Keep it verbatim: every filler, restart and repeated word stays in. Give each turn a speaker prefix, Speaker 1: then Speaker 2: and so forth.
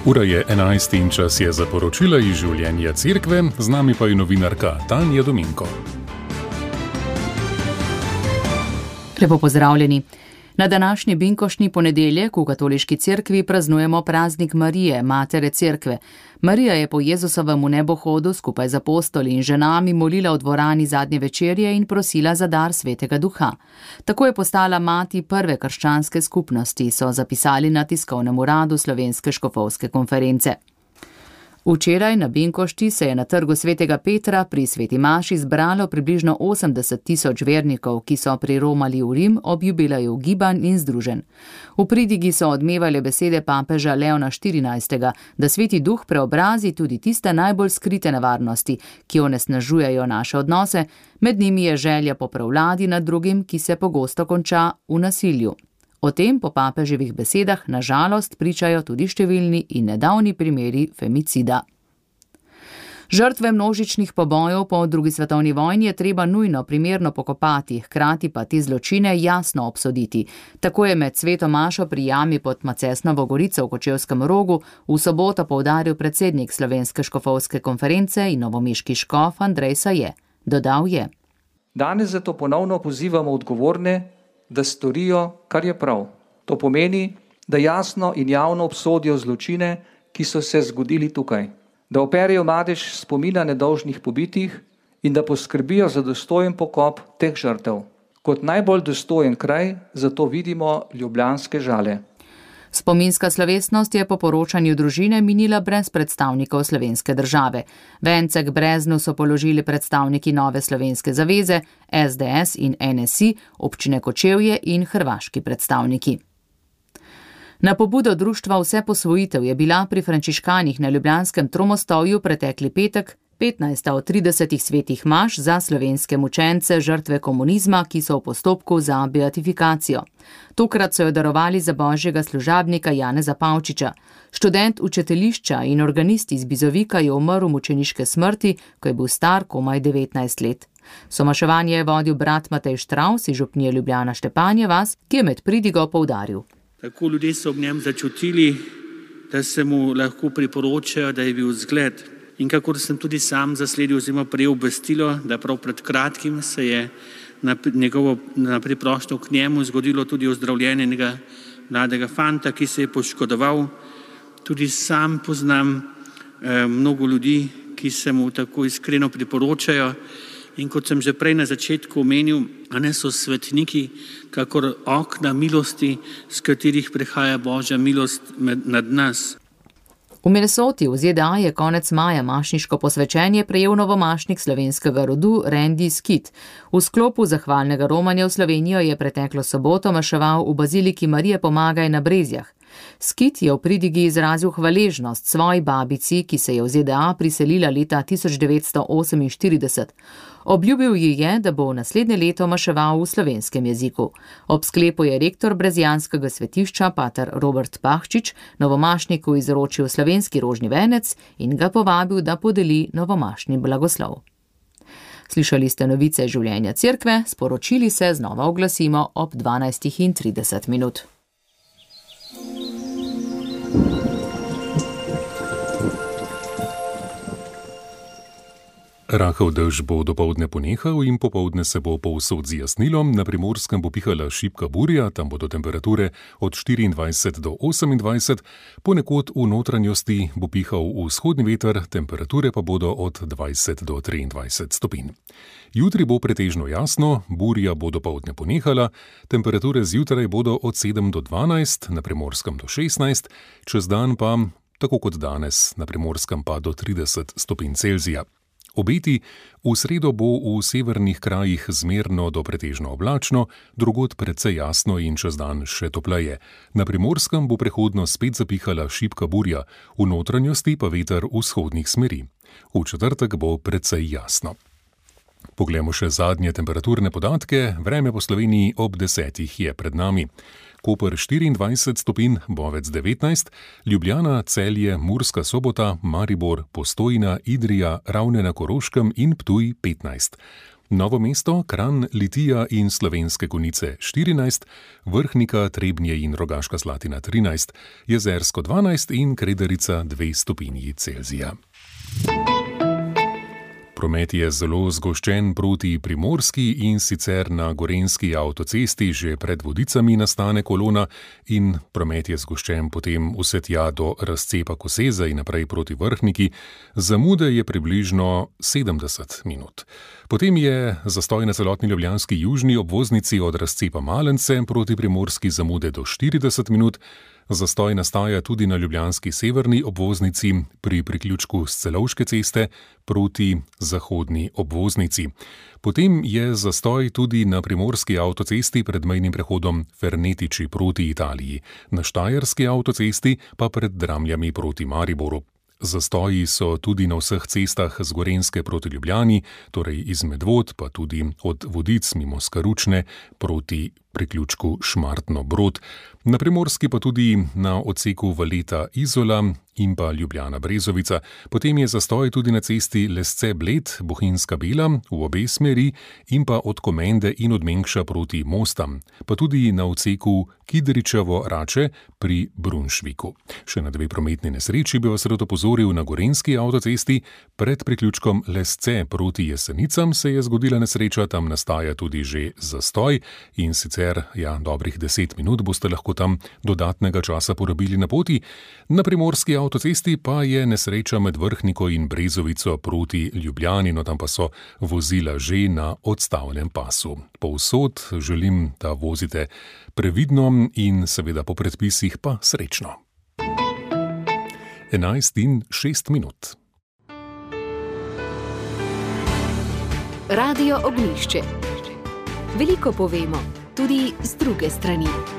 Speaker 1: Ura je enajst in čas je za poročila iz življenja cerkve, z nami pa je novinarka Tanja Dominko.
Speaker 2: Lepo pozdravljeni. Na današnji binkoštni ponedeljek v katoliški cerkvi praznujemo praznik Marije, matere cerkve. Marija je po Jezusovem nebohodu skupaj z apostoli in ženami molila v dvorani zadnje večerje in prosila za dar Svetega Duha. Tako je postala mati prve krščanske skupnosti, so zapisali na tiskovnem uradu Slovenske škofovske konference. Včeraj na binkošti se je na trgu Svetega Petra pri Sveti maši zbralo približno osemdeset tisoč vernikov, ki so priromali v Rim ob jubileju gibanj in združenj. V pridigi so odmevali besede papeža Leona štirinajstega, da Sveti Duh preobrazi tudi tiste najbolj skrite nevarnosti, ki onesnažujejo naše odnose, med njimi je želja po prevladi nad drugim, ki se pogosto konča v nasilju. O tem po papeževih besedah na žalost pričajo tudi številni in nedavni primeri femicida. Žrtve množičnih pobojev po drugi svetovni vojni je treba nujno primerno pokopati, hkrati pa te zločine jasno obsoditi. Tako je med sveto mašo pri jami pod Macesnovo gorico v Kočevskem Rogu v soboto poudaril predsednik Slovenske škofovske konference in novomeški škof Andrej Saje. Dodal je:
Speaker 3: Danes zato ponovno pozivamo odgovorne, da storijo, kar je prav. To pomeni, da jasno in javno obsodijo zločine, ki so se zgodili tukaj, da operejo madež spomina nedolžnih pobitih in da poskrbijo za dostojen pokop teh žrtev. Kot najbolj dostojen kraj zato vidimo ljubljanske Žale.
Speaker 2: Spominska slovesnost je po poročanju družine minila brez predstavnikov slovenske države. Vence k breznu so položili predstavniki Nove slovenske zaveze, es de es in en es i, občine Kočevje in hrvaški predstavniki. Na pobudo društva Vse posvojitev je bila pri frančiškanih na ljubljanskem Tromostovju pretekli petek petnajsta od tridesetih svetih maš za slovenske mučence, žrtve komunizma, ki so v postopku za beatifikacijo. Tokrat so jo darovali za božjega služabnika Janeza Pavčiča. Študent učiteljišča in organist iz Bizovika je umrl mučeniške smrti, ko je bil star komaj devetnajst let. Somaševanje je vodil brat Matej Štravs iz župnije Ljubljana Štepanje vas, ki je med pridigo poudaril.
Speaker 4: Tako ljudje so ob njem začutili, da se mu lahko priporočajo, da je bil zgled. In kakor sem tudi sam zasledil oziroma prejel obvestilo, da prav pred kratkim se je na, njegovo, na priprošnjo k njemu zgodilo tudi ozdravljenje enega mladega fanta, ki se je poškodoval. Tudi sam poznam eh, mnogo ljudi, ki se mu tako iskreno priporočajo. In kot sem že prej na začetku omenil, a ne so svetniki, kakor okna milosti, s katerih prihaja Božja milost med, nad nas.
Speaker 2: V Minnesoti v ze de a je konec maja mašniško posvečenje prejel novomašnik slovenskega rodu Randy Skit. V sklopu zahvalnega romanja v Slovenijo je preteklo soboto maševal v baziliki Marije Pomagaj na Brezjah. Skit je v pridigi izrazil hvaležnost svoji babici, ki se je v ze de a priselila leta tisoč devetsto oseminštirideset. Obljubil ji je, da bo v naslednje leto maševal v slovenskem jeziku. Ob sklepu je rektor brezjanskega svetišča, pater Robert Pahčič, novomašniku izročil slovenski rožni venec in ga povabil, da podeli novomašni blagoslov. Slišali ste novice življenja cerkve, sporočili se znova oglasimo ob dvanajstih in trideset minut.
Speaker 1: Rahel dež bo dopoldne ponehal in popoldne se bo povsod zjasnilo, na Primorskem bo pihala šibka burja, tam bodo temperature od štiriindvajset do osemindvajset, ponekod v notranjosti bo pihal vzhodni veter, temperature pa bodo od dvajset do triindvajset stopinj. Jutri bo pretežno jasno, burja bo dopoldne ponehala, temperature zjutraj bodo od sedem do dvanajst, na Primorskem do šestnajst, čez dan pa, tako kot danes, na Primorskem pa do trideset stopinj Celzija. Obeti: v sredo bo v severnih krajih zmerno do pretežno oblačno, drugod precej jasno in čez dan še topleje. Na Primorskem bo prehodno spet zapihala šibka burja, v notranjosti pa veter vzhodnih smeri. V četrtek bo precej jasno. Poglejmo še zadnje temperaturne podatke. Vreme po Sloveniji ob desetih je pred nami. Koper štiriindvajset stopinj, Bovec devetnajst, Ljubljana, Celje, Murska Sobota, Maribor, Postojna, Idrija, Ravne na Koroškem in Ptuj petnajst. Novo mesto, Kranj, Litija in Slovenske Konjice štirinajst, Vrhnika, Trebnje in Rogaška Slatina trinajst, Jezersko dvanajst in Kredarica dve stopinji Celzija. Promet je zelo zgoščen proti Primorski in sicer na gorenjski avtocesti že pred Vodicami nastane kolona in promet je zgoščen potem vse tja do razcepa Koseza in naprej proti Vrhniki. Zamude je približno sedemdeset minut. Potem je zastoj na celotni ljubljanski južni obvoznici od razcepa Malence proti Primorski zamude do štirideset minut. Zastoj nastaja tudi na ljubljanski severni obvoznici pri priključku s Celovške ceste proti zahodni obvoznici. Potem je zastoj tudi na primorski avtocesti pred mejnim prehodom Fernetiči proti Italiji, na štajerski avtocesti pa pred Dramljami proti Mariboru. Zastoji so tudi na vseh cestah z Gorenjske proti Ljubljani, torej iz Medvod, pa tudi od Vodic mimo Skaručne proti priključku Šmartno-Brod. Na Primorski pa tudi na odseku Valeta-Izola in pa Ljubljana-Brezovica. Potem je zastoj tudi na cesti Lesce-Bled, Bohinjska-Bela v obe smeri in pa od Komende in od Mengša proti Mostam, pa tudi na odseku Kidričevo-Rače pri Brunšviku. Še na dve prometni nesreči bi vas rad opozoril na gorenjski avtocesti. Pred priključkom Lesce proti Jesenicam se je zgodila nesreča, tam nastaja tudi že zastoj in sicer, ja, dobrih deset minut boste lahko tam dodatnega časa porabili na poti. Na primorski avtocesti pa je nesreča med Vrhniko in Brezovico proti Ljubljani, no tam pa so vozila že na odstavnem pasu. Povsod želim, da vozite previdno in seveda po predpisih pa srečno. enajst in šest minut.
Speaker 5: Radio Ognjišče. Veliko povemo, tudi z druge strani.